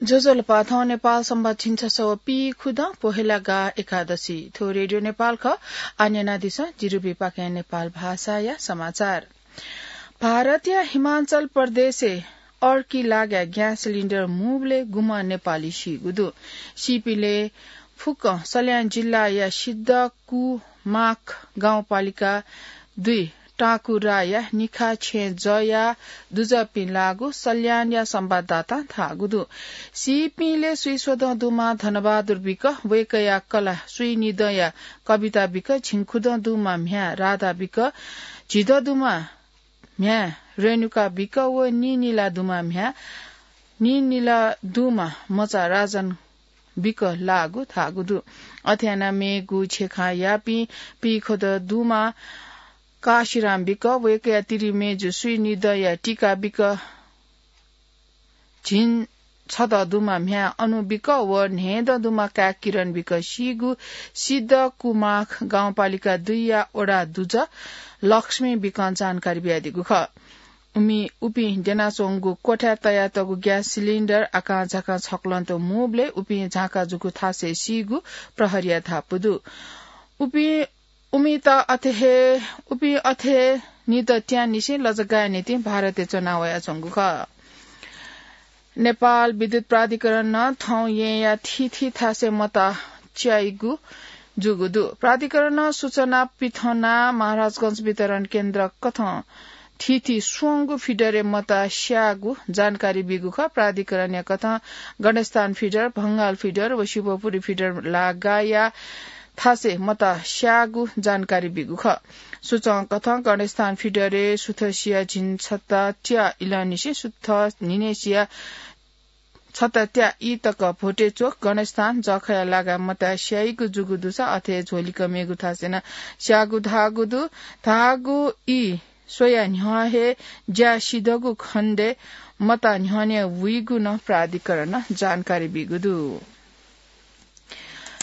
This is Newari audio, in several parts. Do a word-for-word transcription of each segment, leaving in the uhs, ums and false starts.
ज्वजलपा, थौं नेपाल संवत् झिंछसः व पीखुदँ पोहेला गाः एकादशी। थ्व रेडियो नेपाल खः। आः न्यनादिसँ जिरुबिपाखें नेपाल भाषाया समाचार। भारतया हिमाचल प्रदेशय् अर्की लागाय् ग्यास सिलिन्डर मुबलय् गुम्ह नेपाली सीगु दु। सीपिंलय् फुक्कं सल्यान जिल्लाया सिद्धकुमाख गाउँपालिका दुई टाँकुराया निखा छेँ जया दुजःपिं लाःगु सल्यानया संवाददातां धाःगु दु। सीपिंलय् स्वीस्वदँ दुम्ह धनबहादुर बिक, वय्कःया कलाः स्वीनिदँया कविता बिक, झिंखुदँ दुम्ह म्ह्याय् राधा बिक, झिदँ दुम्ह म्ह्याय् रेणुका बिक व नीनिला दुम्ह म्ह्याय् नीनिला दुम्ह मचा राजन बिक लाःगु धाःगु दु। अथे यानाः मेगु छेखायापिं पीखुदँ दुम्ह काशीराम बिक, वय्कःया तिरिमय्जु स्वीनिदँया टीका बिक, झिंछदँ दुम्ह म्ह्याय् अनु बिक व न्हय्दँ दुम्ह काय् किरण बिक सीगु सिद्धकुमाख गाउँपालिका दुईया वडा दुजः लक्ष्मी बिकं जानकारी बियादीगु खः। उमि-, उपिं द्यनाच्वंगु क्वथाय् तयातःगु ग्यास सिलिन्डर आकांझाकां छक्वलं तुं मुबलय् उपिं झांका जूगु थासय् सीगु प्रहरीया धापू दु। उपिं, उमित अथे हे, उपिं अथे हे निदँ त्याःनिसें लजगाःया निंतिं भारतय् च्वना वयाच्वंगु खः। नेपाल विद्युत प्राधिकरणं थौं येँया थीथी थासय् मता च्याइगु जूगु दु। प्राधिकरणं सूचना पिथनाः महाराजगंज वितरण केन्द्र कथं थीथी स्वंगू फिडरय् मता स्याःगु जानकारी बीगु खः। प्राधिकरणया कथं गणेशस्थान फिडर, भंगाल फिडर व शिवपुरी फिडर लागाःया थासय् मता स्याःगु जानकारी बीगु खः। सूचं कथं गणेशस्थान फिडरय् सुथसिया झिंछता त्या इलंनिसें सुथ न्हिनय्सिया छता त्या ई तक भोटे च्वक गणेशस्थान जःखया लागाय् मता स्याइगु जूगु दुसा अथे हे झ्वलिक मेगु थासय् नं स्याःगु धाःगु दु। धाःगु ई स्वया न्ह्यः हे ज्या सिधःगु खण्डय् मता न्ह्यःने वइगु नं प्राधिकरणं जानकारी बीगु दु।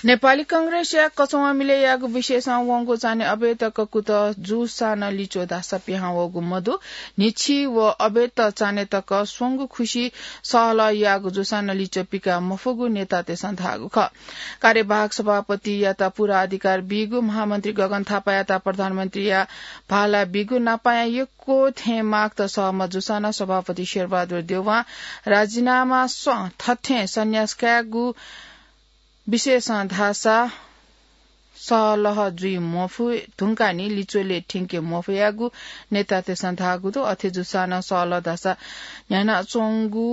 नेपाली कांग्रेसया कचंवा मिलय् याःगु विषयसं वंगु चान्हय् अबय् तक कुतः जूसां नं लिच्वः धाःसा पिहां वःगु मदु। न्हिच्छि व अबय् तक चान्हय् तक स्वंगू खुसि सहलह याःगु जूसां नं लिच्वः पिका मफुगु नेतातय्सं धाःगु खः। कार्यवाहक सभापतियात पूरा अधिकार बीगु, महामन्त्री गगन थापायात प्रधानमन्त्रीया भाला बीगु, नापायां यक्व थें मागत सहमत जूसां नं सभापति शेरबहादुर देउवां राजीनामासं थथें सन्यास कायेगु विषयसं धाःसा सहलह जुइ मफु धुंकाः नि लिच्वलय् थ्यंके मफयागु नेतातय्सं धाःगु दु। अथे जूसां नं सहलह धाःसा न्ह्यानाच्वंगु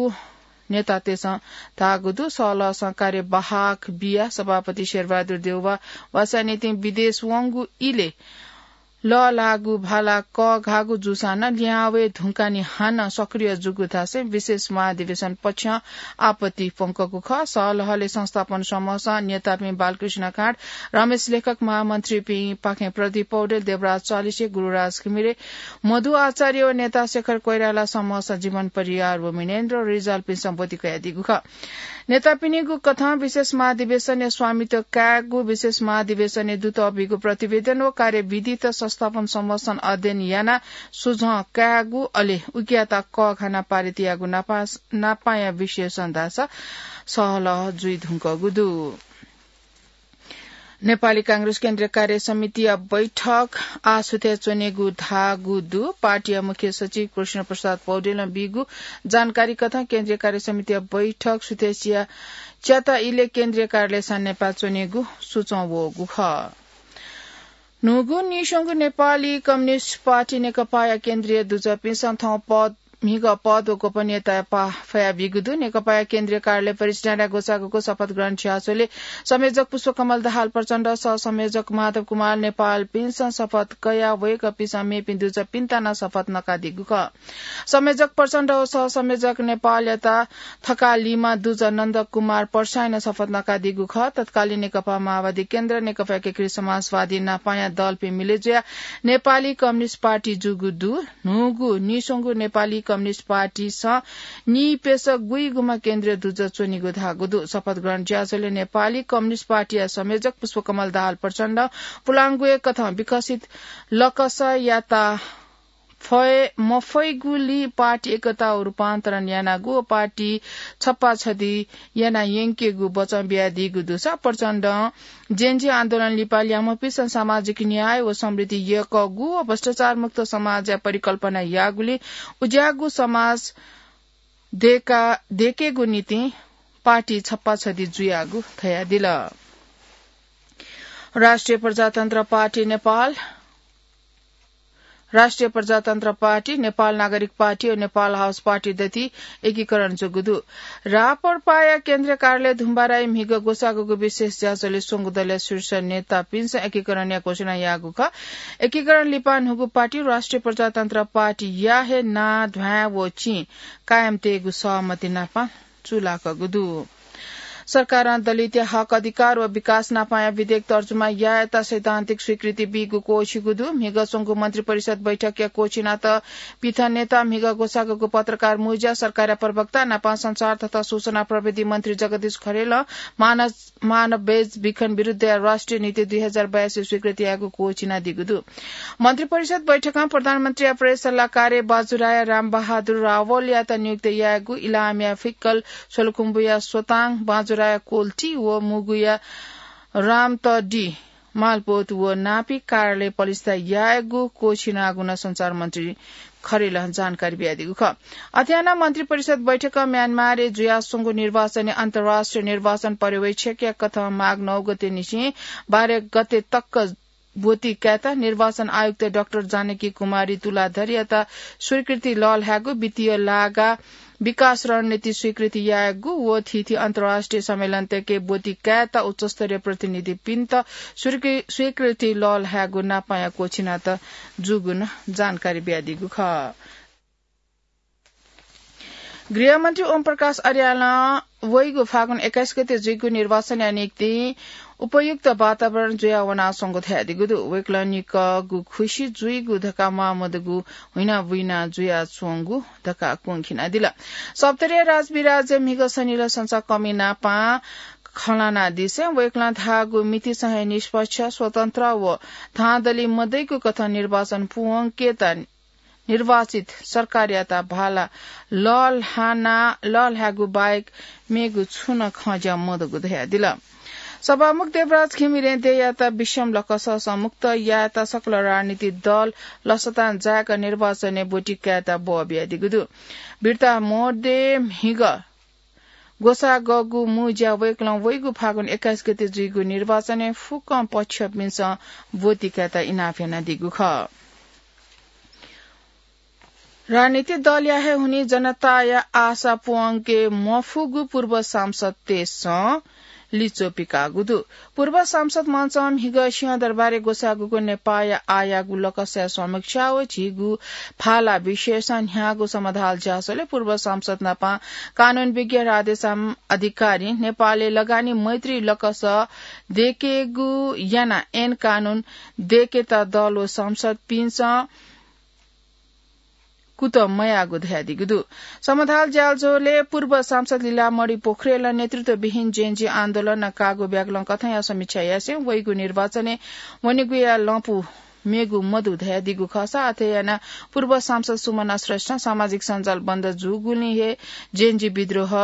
नेतातय्सं धाःगु दु। सहलहसं कार्यवाहक बियाः सभापति शेरबहादुर देउवा वासःया निंतिं विदेश वंगु इलय् लःल्हाःगु भाला कःघाःगु जूसां नं लिहां वये धुंकाः नि हानं सक्रिय जूगु धासें विशेष महाधिवेशन पक्षं आपत्ति प्वंकूगु खः। सहलहलय् संस्थापन समूहसं नेतापिं बालकृष्ण काँड, रमेश लेखक, महामन्त्रीपिं पाखें प्रदीप पौडेल, देवराज चालिसे, गुरुराज घिमिरे, मधु आचार्य व नेता शेखर कोइराला, समूहसं जीवन परियार व मिनेन्द्र रिजालपिन्सं ब्वति कयादीगु खः। नेतापिनिगु कथं विशेष महाधिवेशनय् स्वामित्व कायेगु, विशेष महाधिवेशनय् दुतः बीगु प्रतिवेदन व कार्यविधित संस्थापन समूहसं अध्ययन यानाः सुझाव कायेगु, अले उकियात कःघानाः पारित यायेगु नापा-, नापाया विषयसं धाःसा सहलह जुइ धुंकूगु दु। नेपाली कांग्रेस केन्द्रीय कार्य समितिया बैठक आः सुथय् च्वनेगु धाःगु दु। पार्टीया मुख्य सचिव कृष्ण प्रसाद पौडेलं बीगु जानकारी कथं केन्द्रीय कार्य समितिया बैठक सुथसिया च्याता इलय् केन्द्रीय कार्यालय सानेपाः च्वनेगु सुचं वःगु खः। न्हूगु नीस्वंगु नेपाली कम्युनिस्ट पार्टी नेकपाया केन्द्रीय दुजःपिन्सं थौं पद म्हिगः पद व गोपनीयताया पाः फयाबीगु दु। नेकपाया केन्द्रीय कार्यालय परिसरय् ग्वसाःगु शपथ ग्रहण झ्याःझोलय् संयोजक पुष्पकमल दाहाल प्रचण्ड, सहसंयोजक माधव कुमार नेपालपिन्सं शपथ कयाः वय्कःपिन्सं मेपिं दुजःपिन्त नं शपथ नकादीगु खः। संयोजक प्रचण्ड व सहसंयोजक नेपालयात थकालिम्ह दुजः नन्द कुमार पर्सायां नं शपथ नकादीगु खः। तत्कालीन नेकपा माओवादी केन्द्र, नेकपा एकीकृत समाजवादी नापाया दलपिं मिले जुयाः नेपाली कम्युनिस्ट पार्टी जूगु दु। न्हूगु नीस्वंगु नेपाली कम्युनिस्ट पार्टीसं नीप्यसः गुइगुम्ह केन्द्रीय दुजः च्वनीगु धाःगु दु। शपथ ग्रहण झ्याःझोलय् नेपाली कम्युनिस्ट पार्टीया संयोजक पुष्पकमल दाहाल प्रचण्ड पुलांगुया कथं विकसित लकसयात फय मफइगुली पार्टी एकता रूपान्तरण यानागु व पार्टी छप्पा छधि याना यंकेगु वचन बियादीगु दुसा प्रचण्डं जेनजी आन्दोलन लिपा ल्यामपिसं सामाजिक न्याय व समृद्धि यकःगु व भ्रष्टाचार मुक्त समाजया परिकल्पना याःगुली उज्याःगु समाज देका, देकेगु निंतिं पार्टी छप्पा छधि जुयागु धयादिल। राष्ट्रिय प्रजातन्त्र पार्टी नेपाल, राष्ट्रिय प्रजातन्त्र पार्टी, नेपाल नागरिक पार्टी व नेपाल हाउस पार्टी दथि एकीकरण जूगु दु। राप्रपाया केन्द्रीय कार्यालय धुम्बाराइ म्हिगः ग्वसाःगु विशेष ज्याझ्वलय् स्वंगू दलया शीर्ष नेतापिन्सं एकीकरणया घोषणा याःगु खः। एकीकरण लिपा न्हूगु पार्टी राष्ट्रिय प्रजातन्त्र पार्टीया हे नां, ध्वाँय् व चिं कायम तयेगु सहमति नापं चूलाकूगु दु। सरकारं दलितया हक अधिकार व विकास नापाया विधेयक तर्जुमा यायेत सैद्धान्तिक स्वीकृति बीगु क्वःछिगु दु। म्हिगः स्वंगू मन्त्रिपरिषद बैठकया क्वःछिनात पिथनेत म्हिगः ग्वसाःगु पत्रकार मुज्या सरकारया प्रवक्ता नापं सञ्चार तथा सूचना प्रविधि मन्त्री जगदीश खरेलं मानव, मानव बेज भिखन विरुद्धया राष्ट्रिय नीति दुई हजार बयासी स्वीकृति यायेगु क्वःछिनादीगु दु। मन्त्रिपरिषद बैठकं प्रधानमन्त्रीया प्रेस सल्लाहकार बाजुराया रामबहादुर रावलयात नियुक्त यायेगु इलामया फिक्कल, सोलुखुम्बुया सोताङ, बाजुराया कोल्टी व मुगुया रामतडी मालपोत व नापी कार्यालय पलिस्था यायेगु क्वःछिनागु नं सञ्चार मन्त्री खरेलं जानकारी बियादीगु खः। अथे यानाः मन्त्रिपरिषद बैठकं म्यानमारय् जुयास्वंगु निर्वाचनय् अन्तर्राष्ट्रिय निर्वाचन पर्यवेक्षकया कथं माघ नौ गते निसें बाह्र गते तक ब्वति कायेत निर्वाचन आयुक्त डाक्टर जानकी कुमारी तुलाधरयात स्वीकृति लःल्हायेगु, वित्तीय लागा विकास रणनीति स्वीकृति यायेगु व थीथी अन्तर्राष्ट्रिय सम्मेलनतय्‌के ब्वति कायेत उच्चस्तरीय प्रतिनिधिपिन्त स्वीकृ-, स्वीकृति लःल्हायेगु नापाया क्वःछिनात जूगु नं जानकारी बियादीगु खः। गृहमन्त्री ओम प्रकाश अर्यालं वइगु फागुन एक्काइस गते जुइगु निर्वाचनया निंतिं उपयुक्त वातावरण जुयावनाच्वंगु धयादीगु दु। वय्‌कलं निकःगु खुसि जुइगु धकाः म्वाःमदुगु हुइना बुइना जुयाच्वंगु धकाः क्वंखिनादिल। सप्तरीया राजविराज्य म्हिगः सनिलय् संचार कमि नापां खँ ल्हानादिसें वय्‌कलं धाःगु मितिसं हे निष्पक्ष, स्वतन्त्र व धाँधली मदइगु कथं निर्वाचन पूवंकेत निर्वाचित सरकारयात भाला लःल्हाना, लःल्हायेगु बाहेक मेगु छुं नं खँज्या मदुगु धयादिल। सभामुख देवराज घिमिरें देय्‌यात विषम लकससं मुक्त यायेत सकल राजनीतिक दल लसतां जाय्‌क निर्वाचनय् ब्वति कायेत बः बियादीगु दु। बिर्ता मध्ये म्हिगः ग्वसाःगु मू ज्या वय्‌कलं वइगु फागुन एक्काइस गते जुइगु निर्वाचनय् फुक्कं पक्षपिन्सं ब्वति कायेत इनाप यानादीगु खः। राजनीतिक दलया हे हुनिं जनताया आशा पूवंके मफुगु पूर्व सांसदतय्‌सं लिच्वः पिकाःगु दु। पूर्व सांसद मञ्चं म्हिगः सिंहदरबारय् ग्वसाःगु नेपाःया आःयागु लकसया समीक्षा व झीगु फाला विषयसं न्ह्याःगु समाधाल ज्याझ्वलय् पूर्व सांसद नापं कानून विज्ञ राधेश्याम अधिकारी, नेपालय् लगानी मैत्री लकस देकेगु यानाः ऐन कानून देकेत दल व सांसदपिन्सं कुतः मयाःगु धयादीगु दु। समाधाल ज्याझ्वलय् पूर्व सांसद लीलामणि पोखरेलं नेतृत्वविहीन जेनजी आन्दोलनं काःगु ब्याकलं कथंया समीक्षा यासें वइगु निर्वाचनय् वनेगुया लँपु मेगु मदु धयादीगु खःसा, अथे यानाः पूर्व सांसद सुमना श्रेष्ठं सामाजिक सञ्जाल बन्द जूगुलिं हे जेनजी विद्रोह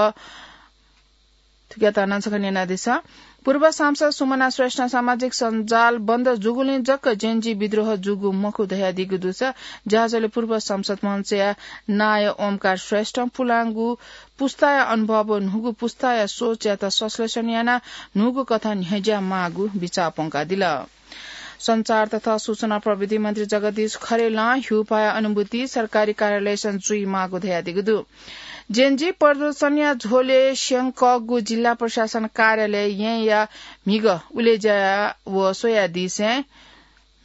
थुकियात नं छकः न्यनादिसँ। पूर्व सांसद सुमना श्रेष्ठं सामाजिक सञ्जाल बन्द जूगुलिं जक जेनजी विद्रोह जूगु मखु धयादीगु दुसा, ज्याझ्वलय् पूर्व सांसद मञ्चया नायः ओमकार श्रेष्ठं पुलांगु पुस्ताया अनुभव व न्हूगु पुस्ताया सोचयात संश्लेषण यानाः न्हूगु कथं न्ह्यज्या माःगु बिचाः प्वंकादिल। सञ्चार तथा सूचना प्रविधि मन्त्री जगदीश खरेलं ह्यूपाया अनुभूति सरकारी कार्यालयसं जुइमाःगु धयादीगु दु। जेनजी प्रदर्शनया झ्वलय् स्यंकःगु जिल्ला प्रशासन कार्यालय येँया म्हिगः उलेज्या व स्वयादिसें,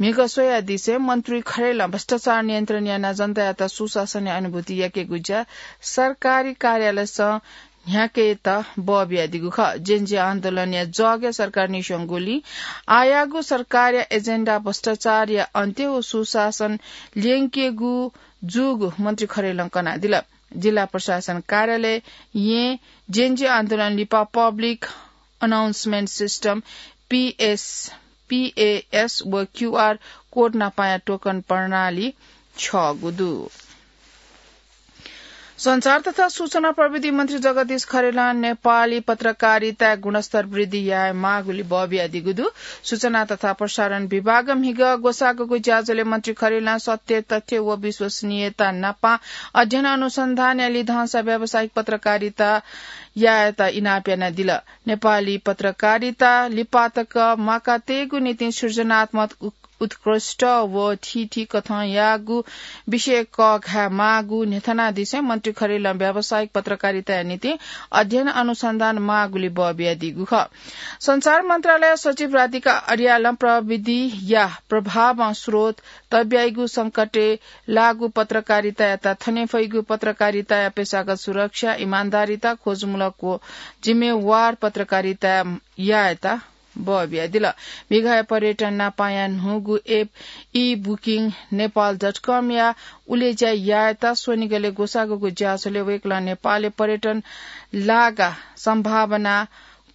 म्हिगः स्वयादिसें मन्त्री खरेलं भ्रष्टाचार नियन्त्रण यानाः जनतायात सुशासनया अनुभूति याकेगु ज्या सरकारी कार्यालयसं न्ह्याकेत बः बियादीगु खः। जेनजी आन्दोलनया जगय् सरकार निस्यंगुलिं आःयागु सरकारया एजेन्डा भ्रष्टाचारया अन्त्य व सुशासन ल्यंकेगु जूगु मन्त्री खरेलं कनादिल। जिल्ला प्रशासन कार्यालय येँ जेनजी आन्दोलन लिपा public announcement system, PS, PaaS व क्यूआर कोड नापाया टोकन प्रणाली छ्यःगु दु। सञ्चार तथा सूचना प्रविधि मन्त्री जगदीश खरेलं नेपाली पत्रकारिताय् गुणस्तर वृद्धि यायेमाःगुली बः बियादीगु दु। सूचना तथा प्रसारण विभागं म्हिगः ग्वसाःगु ज्याझ्वलय् मन्त्री खरेलं सत्य, तथ्य व विश्वसनीयता नापं अध्ययन अनुसन्धानया लिधंसा व्यावसायिक पत्रकारिता यायेत इनाप यानादिल। नेपाली पत्रकारिता लिपातक म्वाकातयेगु निंतिं सृजनात्मक उ-, उत्कृष्ट व थीथी कथं याःगु विषय कःघायेमाःगु न्ह्यथनादिसें मन्त्री खरेलं व्यावसायिक पत्रकारिताया निंतिं अध्ययन अनुसन्धान माःगुली बः बियादीगु खः। सञ्चार मन्त्रालय सचिव राधिका अर्यालं प्रविधिया प्रभावं स्रोत तब्याइगु संकटय् लाःगु पत्रकारितायात थने फइगु पत्रकारिताया पेशागत सुरक्षा, इमान्दारिता, खोजमूलक व जिम्मेवार पत्रकारिता यायेत बः बियादिल। म्हिगःया पर्यटन नापाया न्हूगु app e booking nepal dot com या उलेज्या यायेत स्वनिगलय् ग्वसाःगु ज्याझ्वलय् वय्कलं नेपालय् पर्यटन लागा सम्भावना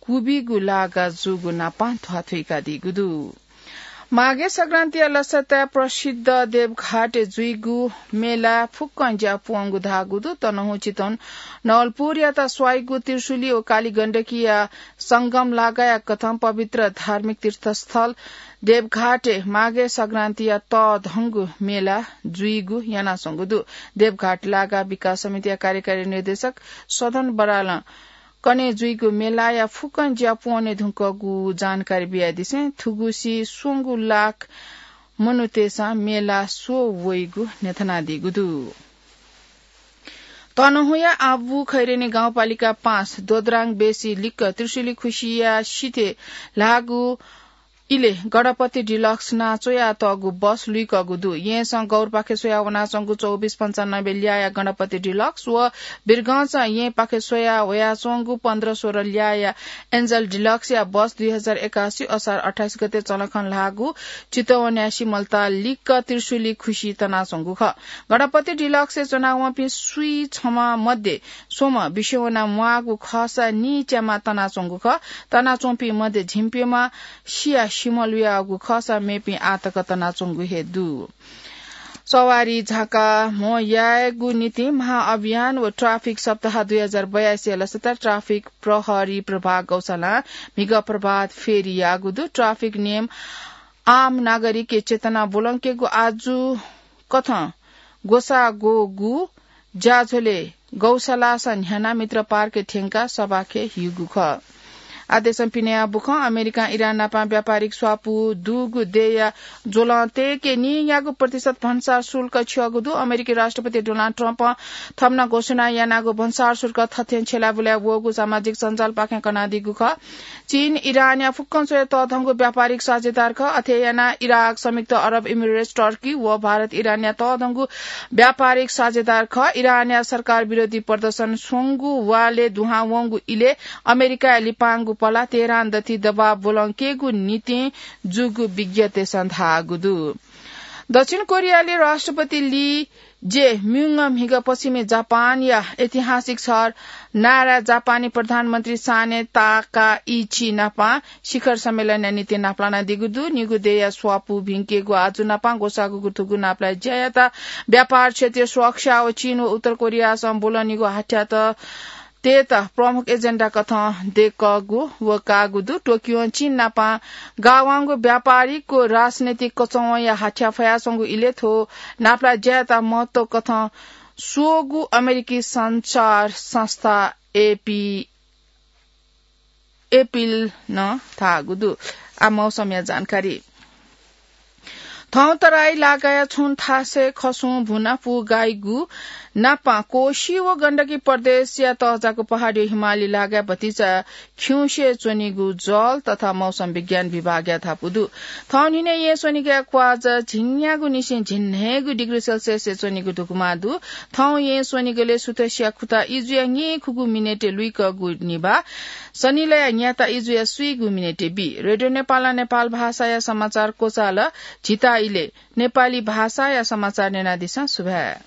क्वबिगु लागा जूगु नापं ध्वाथुइकादीगु दु। माघे संक्रान्तिया लसताय् प्रसिद्ध देवघाटय् जुइगु मेला फुक्कं ज्या पूवंगु धाःगु दु। तनहुँ चितवन नवलपुरयात स्वाइगु त्रिशुली व कालीगण्डकीया संगम लागाया कथं पवित्र धार्मिक तीर्थस्थल देवघाटय् माघे संक्रान्तिया तःधंगु मेला जुइगु यानाच्वंगु दु। देवघाट लागा विकास समितिया कार्यकारी निर्देशक सदन बरालं कन्हय् जुइगु मेलाया फुक्कं ज्या पूवने धुंकूगु जानकारी बियादिसें थुगुसी स्वंगू लाख मनूतय्सं मेला स्वः वइगु न्ह्यथनादीगु दु। तनहुँया आबु खैरेनी गाउँपालिका पाँच दोद्राङ बेसी लिक्क त्रिशुली खुसिया सिथय् ल्हाःगु इलय् गणपति डिलक्स नां च्वयातःगु बस लुइकःगु दु। येँसं गौरपाखे स्वया वनाच्वंगु चौबिस पन्चानब्बे ल्याःया गणपति डिलक्स व वीरगंजं येँपाखे स्वया वयाच्वंगु पन्ध्र सोह्र ल्याःया एन्जल डिलक्सया बस दुई हजार एकासी असार अट्ठाइस गते चलखं ल्हाःगु चितवनया सिमलताल लिक्क त्रिशुली खुसि तनाच्वंगु खः। गणपति डिलक्सय् च्वनावंपिं स्वीछम्ह मध्ये स्वम्ह बिस्युं वना म्वाःगु खःसा नीच्यामा तनाच्वंगु खः। तनाच्वंपिं मध्ये झिंप्यम्ह सिया सिमल वयागु खःसा मेपिं आःतक तनाच्वंगु हे दु। सवारी झाका म्हो यायेगु निंतिं महाअभियान व ट्राफिक सप्ताह दुई हजार बयासीया लसताय् ट्राफिक प्रहरी प्रभाग गौशालां म्हिगः प्रभात फेरी याःगु दु। ट्राफिक नियम आम नागरिकया चेतना ब्वलंकेगु आजु कथं ग्वसाः ग्वःगु ज्याझ्वलय् गौशालासं न्ह्यानाः मित्र पार्कय् थ्यंकाः सभाखे ह्यूगु खः। आदेशं पिने बुखं अमेरिकां इरान नाप व्यापारिक स्वापू दुगु देय्‌या ज्वलं तय्‌के नीन्यागू प्रतिशत भन्सार शुल्क छ्यःगु दु। अमेरिकी राष्ट्रपति डोनाल्ड ट्रम्पं थम्हं घोषणा यानागु भन्सार शुल्क थथें छ्यलाबुलाय् वःगु सामाजिक सञ्जालपाखें कनादीगु खः। चीन इरानया फुक्कं स्वयाः तःधंगु व्यापारिक साझेदार खः। अथे यानाः इराक, संयुक्त अरब इमिरेट्स, टर्की व भारत इरानया तःधंगु व्यापारिक साझेदार खः। इरानया सरकार विरोधी प्रदर्शन स्वंगु वालय् दुहां वंगु इलय् अमेरिकाया लिपांगु पलाः तेहरान दथुइ दबाव ब्वलंकेगु निंतिं जूगु विज्ञतय्‌सं धाःगु दु। दक्षिण कोरियाली राष्ट्रपति ली जे म्युङ म्हिगः पश्चिमी जापानया ऐतिहासिक शहर नाराय् जापानी प्रधानमन्त्री साने ताकाइची नाप शिखर सम्मेलनया निंतिं नापलानादीगु दु। निगू देय्‌या स्वापू भिंकेगु आजु नाप ग्वसाःगु थुगु नापलाये ज्यायात व्यापार क्षेत्रीय सुरक्षा व चीन व उत्तर कोरियासं ब्वलंनिगू हाथ्यात तयेत प्रमुख एजेन्डा कथं दय्‌कःगु व काःगु दु। टोकियों चीन नाप गाःवंगु व्यापारिक व राजनैतिक कचंवया हाथ्या फयाच्वंगु इलय् थ्व नापलाये ज्यायात महत्व कथं स्वःगु अमेरिकी सञ्चार संस्था एपी एपीनं धाःगु दु। आः मौसमया जानकारी। थौं तराई लागाया छुं थासय् खसुं भुना पुगाइगु नाप कोशी व गण्डकी प्रदेशया तःजाःगु पहाडी हिमाली लागाय् भतिचा खिउँसे च्वनीगु जल तथा मौसम विज्ञान विभागया धापू दु। थौं न्हिनय् येँ स्वनिगःया क्वाःजा झिंन्यागू निसें झिंन्हय्‌गू डिग्री सेल्सियसय् च्वनीगु धुकुमा दु। थौं येँ स्वनिगलय् सुथसिया खुता इजुया न्येखुगू मिनेटय् लुइकःगु निभाः, सनिलया न्याता इजुया स्वीगू मिनेटय् बी। रेडियो नेपालं नेपाल भाषाया समाचार क्वचाल। झीत इलय् नेपाली भाषाया समाचार न्यनादिसँ। सुभाय्।